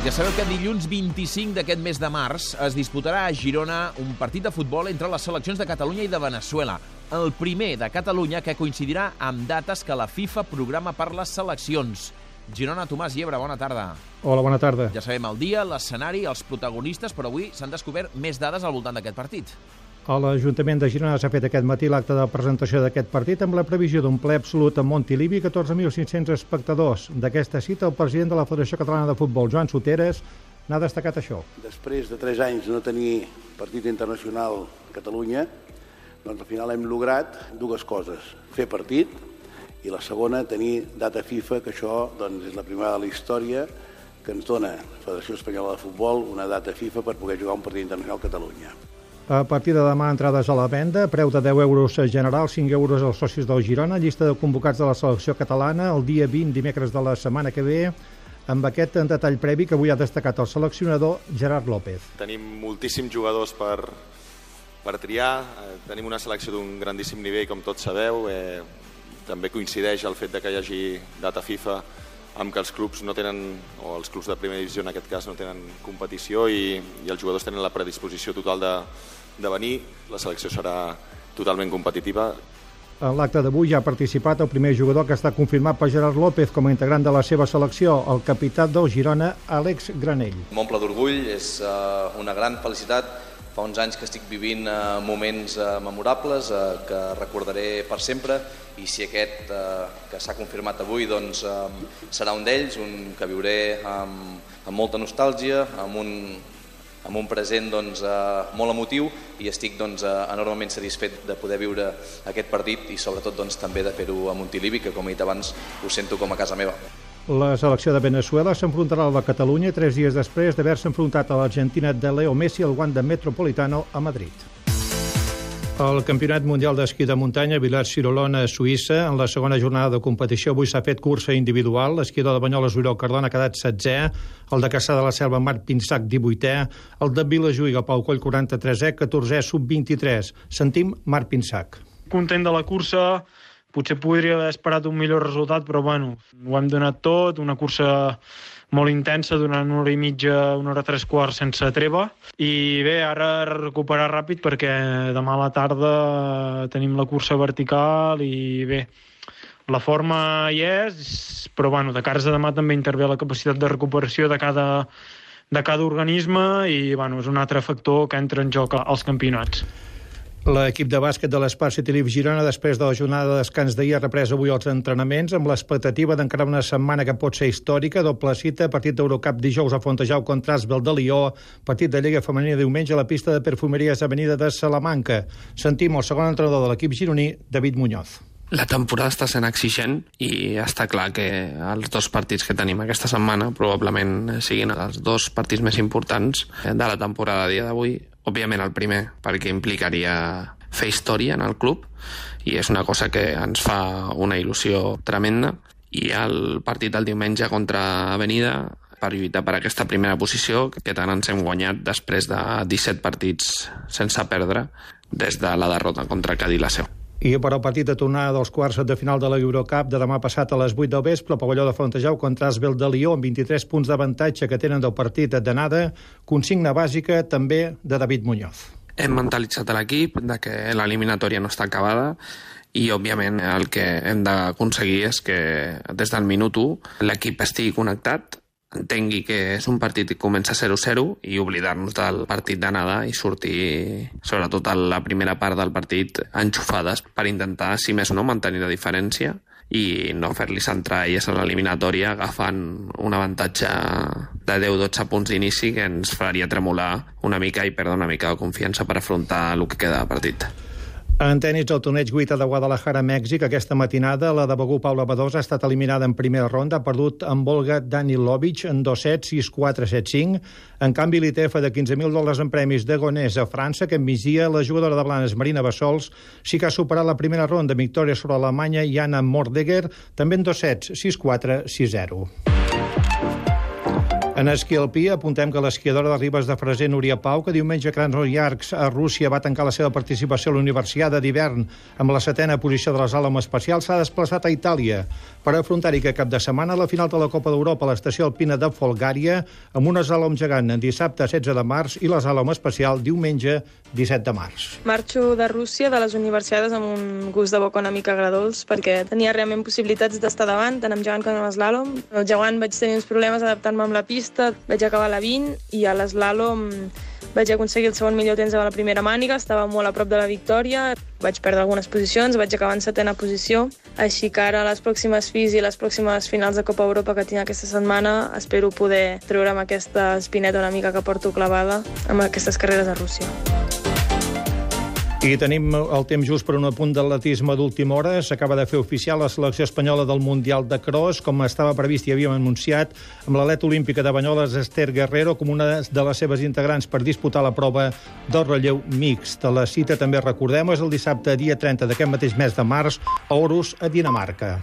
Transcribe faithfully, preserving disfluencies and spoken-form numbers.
Ja sabeu que dilluns vint-i-cinc d'aquest mes de març es disputarà a Girona un partit de futbol entre les seleccions de Catalunya i de Veneçuela. El primer de Catalunya que coincidirà amb dates que la FIFA programa per les seleccions. Girona, Tomàs Llebre, bona tarda. Hola, bona tarda. Ja sabem el dia, l'escenari, els protagonistes, però avui s'han descobert més dades al voltant d'aquest partit. A l'Ajuntament de Girona s'ha fet aquest matí l'acte de presentació d'aquest partit amb la previsió d'un ple absolut a Montilivi, catorze mil cinc-cents espectadors. D'aquesta cita, el president de la Federació Catalana de Futbol, Joan Soteres, n'ha destacat això. Després de tres anys no tenir partit internacional a Catalunya, doncs al final hem lograt dues coses. Fer partit i la segona, tenir data FIFA, que això doncs, és la primera de la història que ens dona la Federació Espanyola de Futbol una data FIFA per poder jugar un partit internacional a Catalunya. A partir de demà, entrades a la venda, preu de deu euros general, cinc euros als socis del Girona, llista de convocats de la selecció catalana, el dia vint, dimecres de la setmana que ve, amb aquest detall previ que avui ha destacat el seleccionador Gerard López. Tenim moltíssims jugadors per, per triar, eh, tenim una selecció d'un grandíssim nivell, com tots sabeu, eh, també coincideix el fet de que hi hagi data FIFA amb que els clubs no tenen, o els clubs de primera divisió en aquest cas no tenen competició i, i els jugadors tenen la predisposició total de, de venir. La selecció serà totalment competitiva. En l'acte d'avui ja ha participat el primer jugador que està confirmat per Gerard López com a integrant de la seva selecció, el capità del Girona, Àlex Granell. M'omple d'orgull, és uh, una gran felicitat. Fa uns anys que estic vivint uh, moments uh, memorables uh, que recordaré per sempre i si aquest uh, que s'ha confirmat avui doncs, um, serà un d'ells, un que viuré amb, amb molta nostàlgia, amb un, amb un present doncs, uh, molt emotiu i estic doncs, uh, enormement satisfet de poder viure aquest partit i sobretot doncs, també de fer-ho a Montilivi, que com he dit abans ho sento com a casa meva. La selecció de Veneçuela s'enfrontarà a la Catalunya tres dies després d'haver-se enfrontat a l'Argentina de Leo Messi al Wanda Metropolitano a Madrid. El Campionat Mundial d'Esquí de Muntanya a Villars-Sirolona, a Suïssa, en la segona jornada de competició avui s'ha fet cursa individual. L'esquiador de Banyoles, Oriol Cardona, ha quedat setzè, el de Caçà de la Selva, Marc Pinsac, divuitè, el de Vilajuïga, Pau Coll, quaranta-tresè, catorzè, sub vint-i-tres. Sentim Marc Pinsac. Content de la cursa. Potser podria haver esperat un millor resultat, però bueno, ho hem donat tot, una cursa molt intensa durant una hora i mitja, una hora tres quarts sense treva. I bé, ara recuperar ràpid perquè demà a la tarda tenim la cursa vertical i bé, la forma hi és, però bueno, de cares a demà també intervé la capacitat de recuperació de cada, de cada organisme i bueno, és un altre factor que entra en joc als campionats. L'equip de bàsquet de l'Espart City Leaf Girona, després de la jornada de descans d'ahir, ha reprès avui els entrenaments amb l'expectativa d'encarar una setmana que pot ser històrica, doble cita, partit d'Eurocup dijous a Fontejau contra Asbel de Lió, partit de Lliga Femenina diumenge a la pista de Perfumeries Avenida de Salamanca. Sentim el segon entrenador de l'equip gironí, David Muñoz. La temporada està sent exigent i està clar que els dos partits que tenim aquesta setmana probablement siguin els dos partits més importants de la temporada a dia d'avui. Òbviament el primer, perquè implicaria fer història en el club i és una cosa que ens fa una il·lusió tremenda. I el partit del diumenge contra Avenida per lluitar per aquesta primera posició que tant ens hem guanyat després de disset partits sense perdre des de la derrota contra Cadí la Seu. I per al partit de tornada dels quarts de final de l'Eurocup de demà passat a les vuit del vespre, el pavelló de Fontejau contra Asbel de Lió, amb vint-i-tres punts d'avantatge que tenen del partit d'anada, consigna bàsica també de David Muñoz. Hem mentalitzat l'equip de que l'eliminatòria no està acabada i, òbviament, el que hem d'aconseguir és que des del minut u l'equip estigui connectat, entengui que és un partit que comença zero zero i oblidar-nos del partit d'anada i sortir, sobretot a la primera part del partit, enxufades per intentar, si més no, mantenir la diferència i no fer-li centrar elles a l'eliminatòria agafant un avantatge de deu dotze punts d'inici que ens faria tremolar una mica i perdre una mica de confiança per afrontar el que queda de partit. En tenis, el torneig Guita de Guadalajara, Mèxic, aquesta matinada, la de Begú Paula Badosa ha estat eliminada en primera ronda, ha perdut amb Olga Danilovic en dos set, sis quatre, set cinc. En canvi, l'I T F de quinze mil dòlars en premis de Gonés a França, que migdia la jugadora de Blanes, Marina Bassols, sí que ha superat la primera ronda, victòria sobre Alemanya, Jana Mordegger, també en dos sets, sis quatre, sis zero. En esquí alpí apuntem que l'esquiadora de Ribes de Freser, Núria Pau, que diumenge a Krasnoyarsk a Rússia va tancar la seva participació a la Universiada d'hivern amb la setena posició de les àlomes espacials, s'ha desplaçat a Itàlia. per afrontar-hi aquest cap de setmana la final de la Copa d'Europa a l'estació alpina de Folgària, amb una slalom gegant dissabte setze de març i la slalom especial diumenge disset de març. Marxo de Rússia, de les universitats, amb un gust de boca una mica agradolç, perquè tenia realment possibilitats d'estar davant, tant amb gegant com amb eslàlom. El gegant vaig tenir uns problemes adaptant-me amb la pista, vaig acabar la vint, i a l'eslàlom vaig aconseguir el segon millor temps a la primera màniga, estava molt a prop de la victòria, vaig perdre algunes posicions, vaig acabar en setena posició, així que ara les pròximes F I S i les pròximes finals de Copa Europa que tinc aquesta setmana espero poder treure'm aquesta espineta una mica que porto clavada amb aquestes carreres a Rússia. I tenim el temps just per un apunt d'atletisme d'última hora. S'acaba de fer oficial la selecció espanyola del Mundial de Cross, com estava previst i havíem anunciat, amb l'atleta olímpica de Banyoles, Esther Guerrero, com una de les seves integrants per disputar la prova del relleu mixt. La cita, també recordem, és el dissabte, dia trenta d'aquest mateix mes de març, a Aarhus, a Dinamarca.